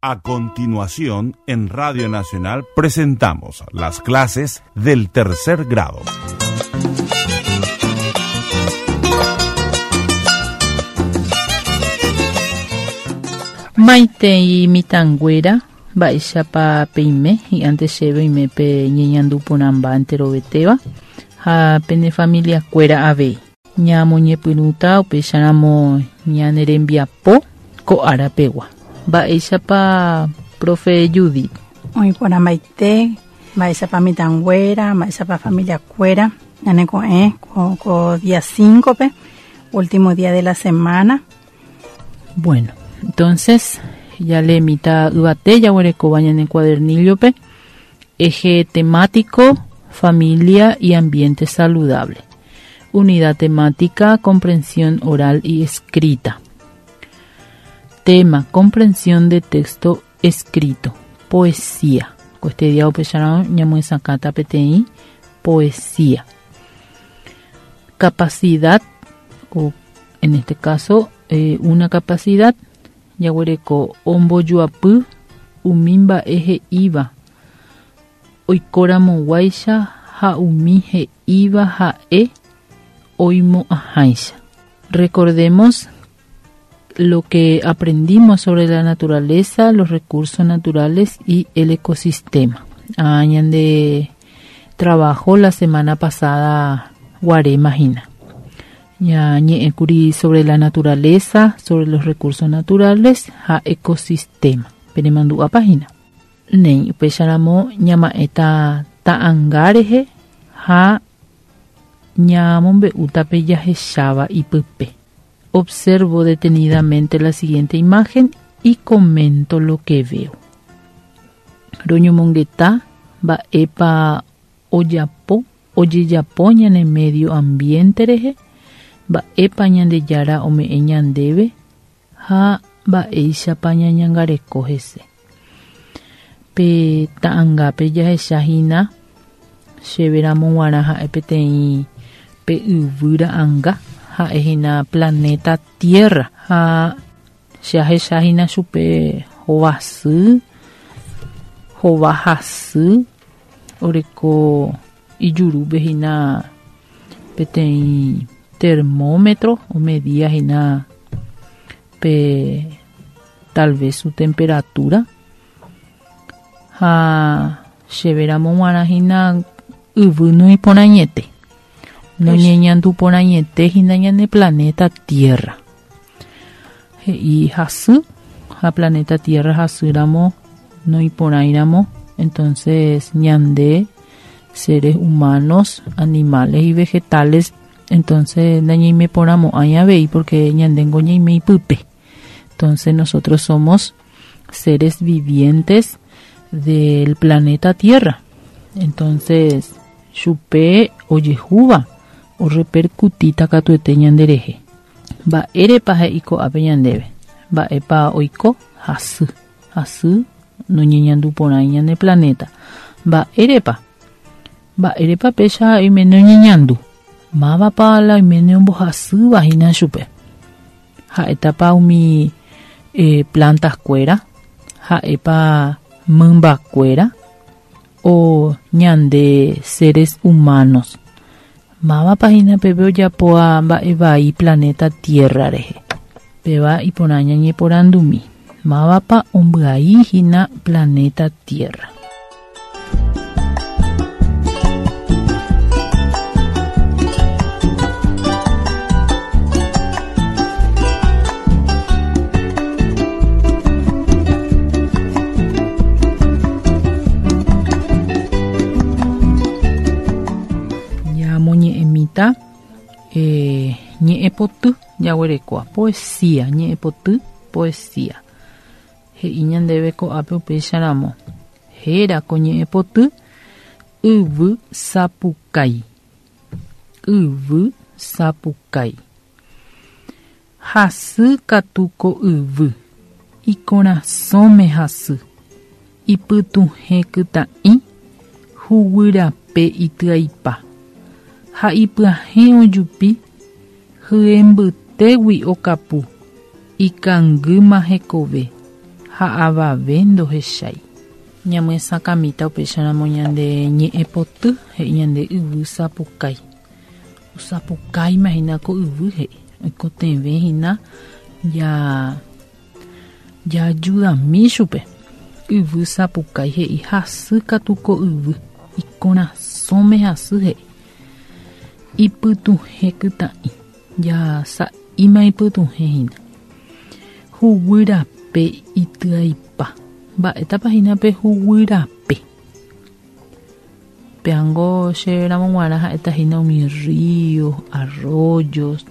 A continuación, en Radio Nacional presentamos las clases del tercer grado. Maitei mitãnguéra, mba'éichapa peime, hi'ãnte chéve oime pe ñeñandu porãmba enterovetéva ha pene familiakuéra avei. Ñamoñepyrũta upéicharamo ñane rembiapo ko ára pegua. Mba'éichapa profe Judith? Oĩ porãmbaite, mba'éichapa mitãnguéra, mba'éichapa familiakuéra, ñaneko'ẽ ko, ko día 5-pe, último día de la semana. Bueno, entonces ya le mitã yvate jaguerekóva ñane cuadernillo-pe, eje temático, familia y ambiente saludable. Unidad temática, comprensión oral y escrita. Tema, comprensión de texto escrito. Poesía. Ko este día upéicharõ ñamyesakãta peteĩ poesía. Capacidad, o en este caso, eh, una capacidad, jaguereko ombojoapy umi mba'e he'íva oikoramoguáicha ha umi he'íva ha'e oimo'ãháicha. Recordemos lo que aprendimos sobre la naturaleza, los recursos naturales y el ecosistema. Ah, ñande trabajo la semana pasada guaréma hína. Ñañe'ẽkuri sobre la naturaleza, sobre los recursos naturales ha ecosistema. Penemandu'ápa hína. Néi, upéicharamo ñama'ẽta ta'anga rehe ha ñamombe'úta pe jahecháva ipype. Observo detenidamente la siguiente imagen y comento lo que veo. Roñomongeta mba'épa ojapo, ojejapo ñane medio ambiente rehe, mba'épa Ñandejára ome'ẽ ñandéve ha mba'éichapa ñañangareko hese. Pe ta'angápe jahecha hína chéve ramo g̃uarã ha'e peteĩ pe yvy ra'anga, ha'e hína planeta Tierra. Ha che ahecha hína chupe hova sy, hova hasy, oreko ijurúpe hína peteĩ termómetro omedia hína pe tal vez su temperatura. Ha chéve ramo g̃uarã hína yvy noĩporãiete, noñeñanduporãiete hína ñane planeta Tierra. He'i hasy ha planeta Tierra hasýramo noĩporãiramo, entonces ñande seres humanos, animales y vegetales, entonces nañaimeporãmo'ãi avei porque ñandéngo ñaime ipype. Entonces nosotros somos seres vivientes del planeta Tierra. Entonces, chupe ojehúva orreperkutíta katuete ñanderehe. Mba'érepa he'i ko'ápe ñandéve? Mba'épa oiko? Hasy. Hasy noñeñandu porãi ñane planeta. Mba'érepa? Mba'érepa péicha oiméne oñeñandu? Mávapa la oiméne ombohasýva hína chupe? Ha'étapa umi plantas-kuéra? Ha'épa mymbakuéra? O ñande seres humanos? Mávapa hína peve ojapóva mba'e vai planeta Tierra rehe? Péva iporã ñañeporandumi, mávapa ombyai hína planeta Tierra? Ñamoñe'ẽmíta eh, ñe'ẽpoty jaguerekóva, poesía, ñe'ẽpoty, poesía. He'i ñandéve ko'ápe upéicharamo, héra ko ñe'ẽpoty Yvy sapukái. Yvy sapukái. Hasy katu ko yvy, ikorasõme hasy, ipytuhẽ kytã'i, huguy rape ityaipa, ha ipyahẽ ojupi, hye mbytégui okapu, ikangýma hekove, Ha avave ndohechái. Ñamyesakãmíta upéicharamo ñande ñe'ẽpoty, he'i ñande yvy sapukái. Osapukáima hína ko yvy, he'i. Oikotevẽ hína ja jaajudami chupe. Yvy sapukái he'i hasy katu ko yvy, ikorasõme hasy, he'i. Ipytuhẽ kytã'i, ja sa'íma ipytuhẽ hína. Huguy rape ityaipa. Mba'étapa hína pe huguy rape? Péango che ramo g̃uarã ha'éta hína umi río, arroyos,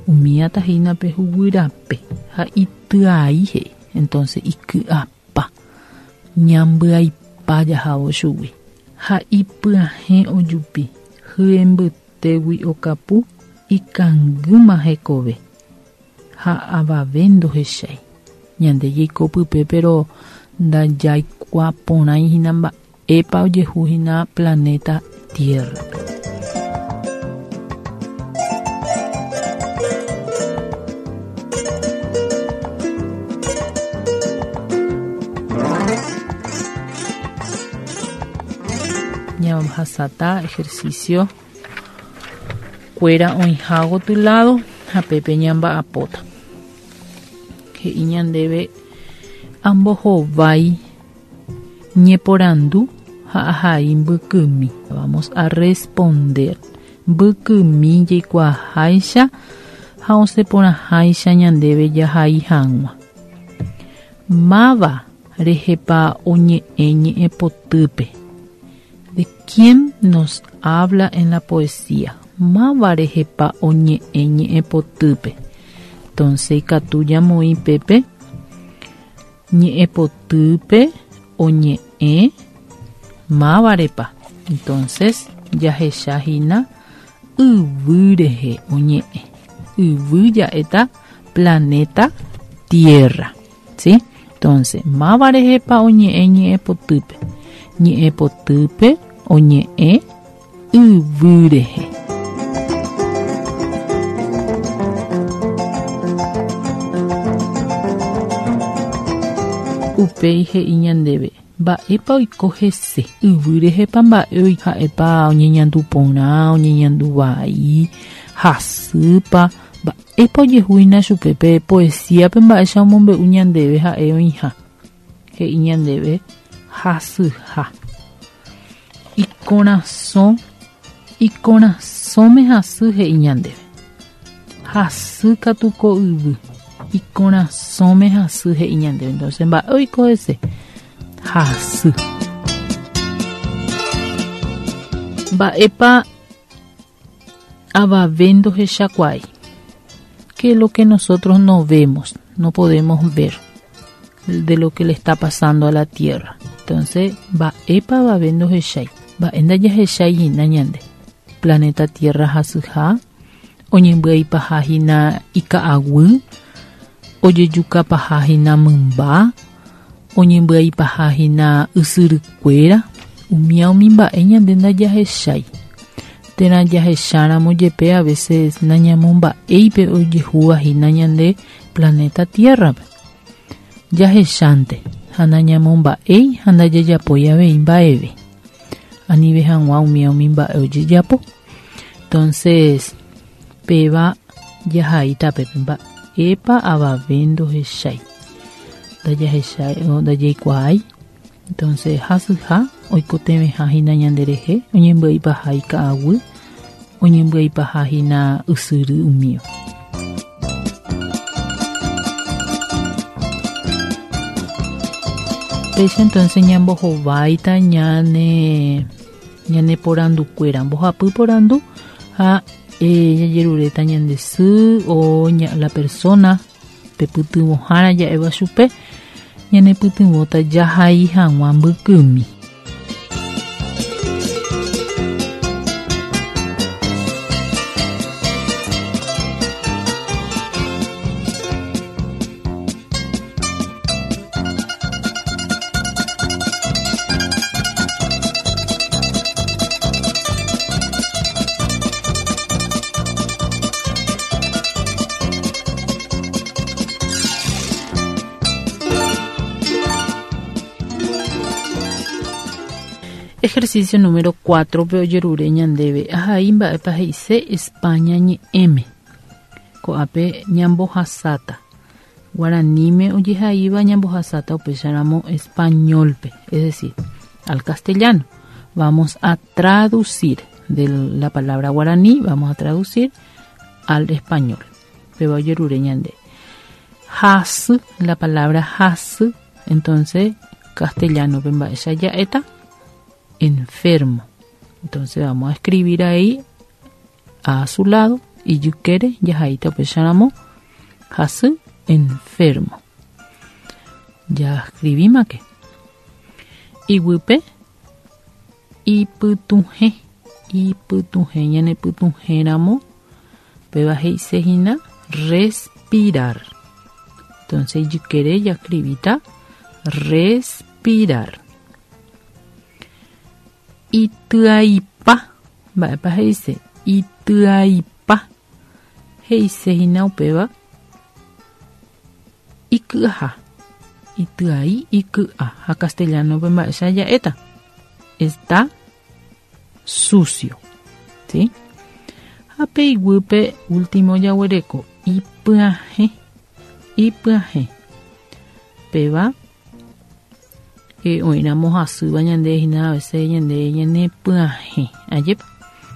umíata hína pe huguy rape ha ityai he'i. Entonces iky'apa, ñambyaipa jahávo chugui. Ha ipyahẽ ojupi, hye mbytégui okapu, ikangýma hekove. Ha avave ndohechái. Ñande jaiko pype pero ndajaikuaa porãi hína mba'épa ojehu hína planeta Tierra-pe. Ñahasáta ejercicio kuéra oĩha gotyo lado ha pépe ñamba'apóta. He'i ñandéve ambohovái ñeporandu ha ahai mbykymi. Vamos a responder mbykymi jaikuaaháicha ha osẽ porãháicha ñandéve jahai hag̃ua. Máva rehepa oñe'ẽ ñe'ẽpotýpe. ¿De quién nos habla en la poesía? Máva rehepa oñe'ẽ ñe'ẽpotýpe. Entonces ikatu ñamoĩ pépe ñe'ẽpotýpe oñe'ẽ mávarepa. Entonces jahecha hína yvy rehe oñe'ẽ. Yvy ja'éta planeta Tierra. ¿Sí? Entonces, máva rehepa oñe'ẽ ñe'ẽpotýpe? Ñe'ẽpotýpe oñe'ẽ yvy rehe. Upéi he'i ñandéve, mba'épa oiko hese? Yvy rehepa mba'e oiko? Ha'épa oñeñandu porã, oñeñandu vai, hasýpa, Mba'épa ojehu hína chupe pe poesíape mba'éicha omombe'u ñandéve ha'e oĩha? He'i ñandéve hasyha. Ikorasõ, ikorasõme hasy he'i ñandéve. Hasy katu ko yvy. Ikorasõme hasy he'i ñandéve. Entonces mba'e oiko hese? Hasy. Mba'épa Avave ndohechakuaái. Que lo que nosotros no vemos, no podemos ver de lo que le está pasando a la tierra. Entonces, mba'épa avave ndohechái? Mba'e ndajahechái hína ñande? Planeta Tierra hasyha, oñembyaipaha hína ika'aguy, ojejukapaha hína mymba, oñembyaipaha hína ysyrykuéra, umía umi mba'e ñande ndajahechái. Térã jahecháramo jepe a veces nañamomba'éi pe ojehúva hína ñande planeta Tierra-pe. Jahechánte ha nañamomba'éi ha ndajajapói avei mba'eve. Anive hag̃ua umía umi mba'e ojejapo. Entonces, péva jahaíta pépe mba'épa avave ndohechái. Ndajahechái o ndajaikuaái. Entonces, hasyha oikotevẽha hína ñanderehe, oñembyaipaha ika'aguy, oñembyaipaha hína ysyry umíva. Péicha entonces ñambohováita ñane ñane porandukuéra, mbohapy porandu ha eh, jajeruréta ñande sy o ña, la persona pe pytyvõhára ja'éva chupe ñanepytyvõta jahai hag̃ua mbykymi. Ejercicio número 4 pe ojerure ñandéve ahai mba'épa he'ise España ñe'ẽme. Ko'ápe ñambohasáta. Guaraníme ojehaíva ñambohasáta upéicharamo español-pe, es decir, al castellano. Vamos a traducir de la palabra guaraní, vamos a traducir al español. Péva ojerure ñande. Hasy, la palabra hasy, entonces castellano-pe mba'éicha ja'éta enfermo. Entonces vamos a escribir ahí a su lado ijykére jahaíta upéicharamo hasy enfermo. Jascribímake. Iguýpe ipytuhẽ, ipytuhẽ ñanepytuhẽramo péva he'ise hína respirar. Entonces ijykére jascribíta respirar. Ityaipa, mba'épa he'ise? Ityaipa he'ise hína upéva iky'aha. Ityai, iky'a. Ha castellano-pe mba'éicha ja'éta? Está sucio. ¿Sí? Ha pe iguýpe último jaguereko ipyahẽ, ipyahẽ. Péva oĩramo hasýva ñande hína a veces ñande ñanepyahẽ. Ajépa?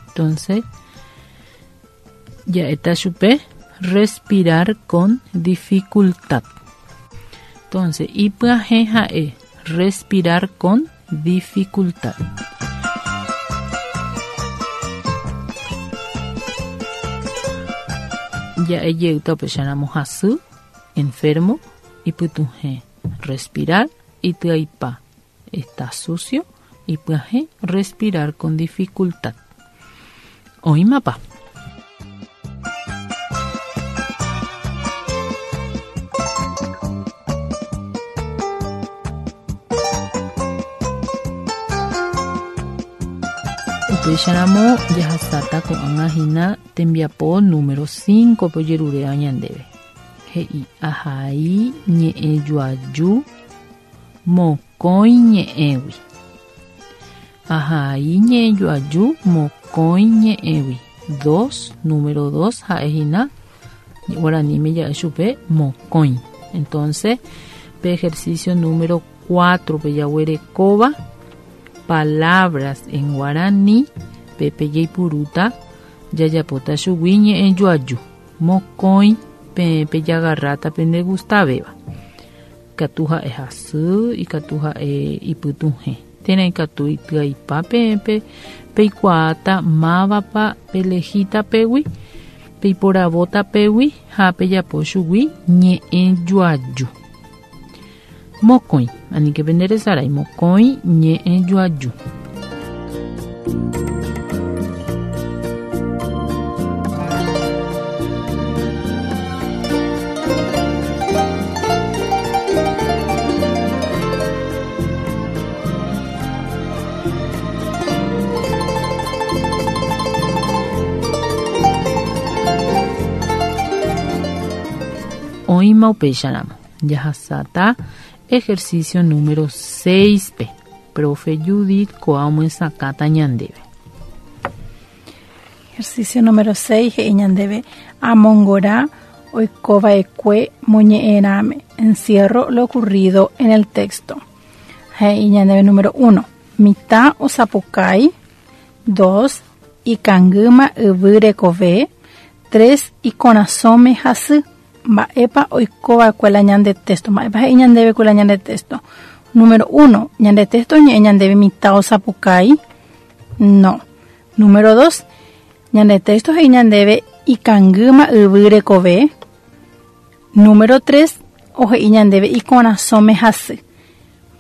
Entonces, ja'éta chupe respirar con dificultad. Entonces, ipyahẽ ha'e respirar con dificultad. Ja'e jeýta upéicharamo hasy, enfermo, ipytuhẽ, respirar, ityaipa, está sucio, ipyahẽ, respirar con dificultad. Oĩmapa? Upéicharamo jahasáta ko'ág̃a hína tembiapo número 5-pe ojeruréva ñandéve. He'i ahai ñe'ẽjoaju mokõi ñe'ẽgui. Ahai ñe'ẽjoaju mokõi ñe'ẽgui. Dos, número dos ha'e hína guaraníme ja'e chupe mokõi. Entonces, pe ejercicio número 4-pe jaguerekóva palabras en guaraní, pépe jaipurúta jajapóta chugui ñe'ẽjoaju mokõi peẽ pejagarráta pendegustavéva. Ikatu ha'e hasy, ikatu ha'e ipytuhẽ, térã ikatu ityaipa peẽ peikuaáta mávapa pelehíta pégui, peiporavóta pégui ha pejapo chugui ñe'ẽjoaju. Mokõi, aníke penderesarái, mokõi ñe'ẽjoaju. Oĩma upéicharamo. Jahasáta ejercicio número 6-pe. Profe Judith ko'a omyesakãta ñandéve. Ejercicio número 6 he'i ñandéve amongora oikova'ekue moñe'ẽrãme. Encierro lo ocurrido en el texto. He'i ñandéve número 1. Mitã osapukái. 2. Ikangýma yvy rekove. 3. Ikorasõme hasy. Mba'épa oikova'ekue la ñande texto? Mba'épa he'i ñandéve ku la ñande texto? Número 1. Ñande texto oñe'ẽ ñandéve mitã osapukái. No. Número 2. Ñande texto he'i ñandéve ikangýma yvy rekove. Número 3. Ohe'i ñandéve ikorasõme hasy.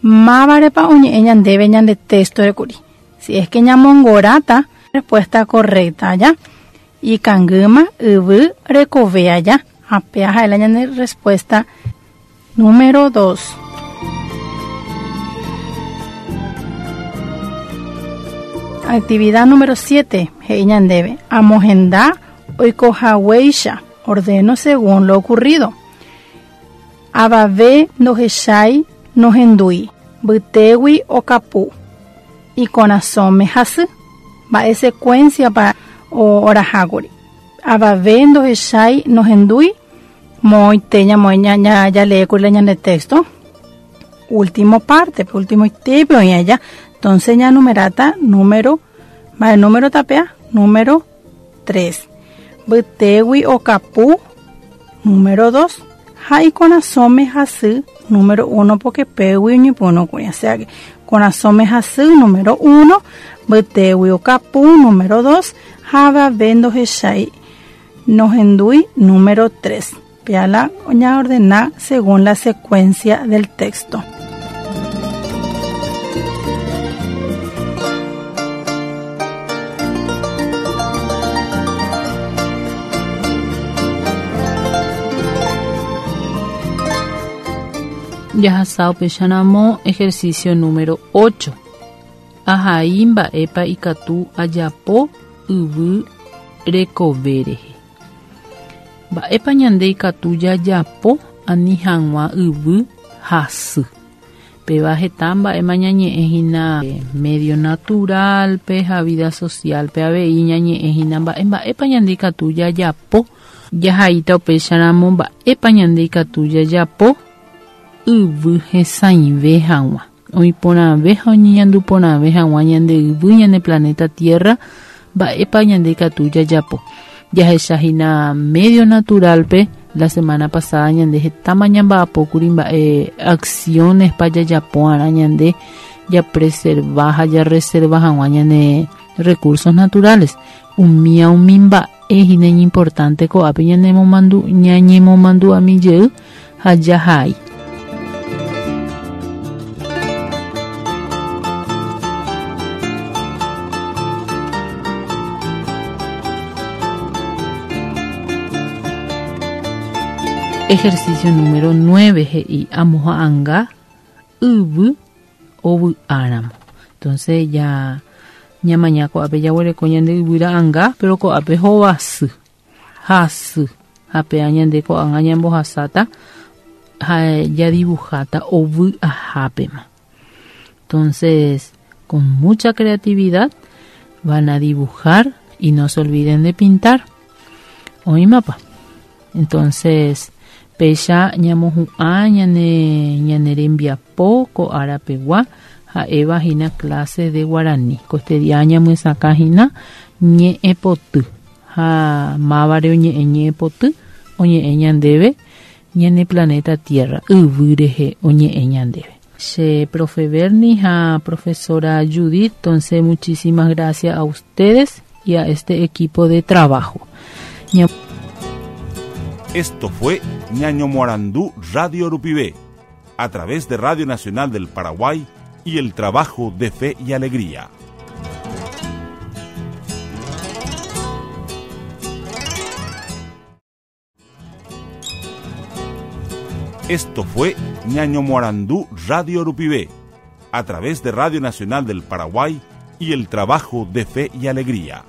Mávarepa oñe'ẽ ñandéve ñande texto rekuri? Si es que ñamongoráta, respuesta correcta ya. Ikangýma yvy rekove aja. Ape ha'e la ñande respuesta número 2. Actividad número 7. He'i ñandéve. Amohenda oikohaguéicha. Ordeno según lo ocurrido. Avave ndohechái nohendúi. Mbytégui okapu. Ikorasõme hasy. Mba'e secuencia-pa orahákuri. Avave ndohechái nohendúi moõite ñamoĩ jaleékuri la ñande texto. Último parte-pe, ultimoitépe oĩ aja. Entonces ñanumeráta número, mba'e número tapéa? Número 3. Mbytégui okapu, número 2. Ha ikorasõme hasy, número 1, porque pégui oñepyrũkuri. O sea que korasõme hasy, número 1, mbytégui okapu, número 2, ha avave ndohechái nohendúi, número 3. Péa la ñaordena según la secuencia del texto. Jahasa upéicharamo ejercicio número 8. Ahai mba'épa ikatu ajapo yvy rekove rehe. Mba'épa ñande ikatu jajapo ani hag̃ua yvy hasy. Péva heta mba'éma ñañe'ẽ hína medio natural-pe ha vida social-pe avei ñañe'ẽ hína mba'e mba'épa ñande ikatu jajapo jahaíta upéicharamo mba'épa ñande ikatu jajapo yvy hesãive hag̃ua. Oĩ porãve ha oñeñandu porãve hag̃ua ñande yvy, ñane planeta Tierra, mba'épa ñande ikatu jajapo. Jahecha hína medio natural-pe, la semana pasada ñande hetáma ñamba'apókuri mba'e acciones-pa jajapo'arã ñande japreserva ha jarreserva hag̃ua ñane recursos naturales. Umía umi mba'e hína iñimportante ko'ápe ñanemomandu ñañemomandu'ami jey ha jahai. Ejercicio número 9 he'i amoha'anga yvy ovy'áramo. Entonces ya ñamaña ko'ápe jaguereko ñande yvy ra'anga, pero ko'ápe hovasy. Hasy. Ha péa ñande ko'ág̃a ñambohasáta ha jadibuháta ovy'ahápema. Entonces, con mucha creatividad van a dibujar y no se olviden de pintar. Oĩmapa? Entonces, péicha ñamohu'ã ñane ñane rembiapo ko árapegua ha'éva hína clase de guarani. Ko este día ñamyesakã hína ñe'ẽpoty. Ha mávare oñe'ẽ ñe'ẽpoty oñe'ẽ ñandéve ñane planeta Tierra, yvy rehe oñe'ẽ ñandéve. Che profe Bernie ha profesora Judith, entonces muchísimas gracias a ustedes y a este equipo de trabajo. Esto fue Ñaño Morandú Radio Rupivé, a través de Radio Nacional del Paraguay y el trabajo de Fe y Alegría. Esto fue Ñaño Morandú Radio Rupivé, a través de Radio Nacional del Paraguay y el trabajo de Fe y Alegría.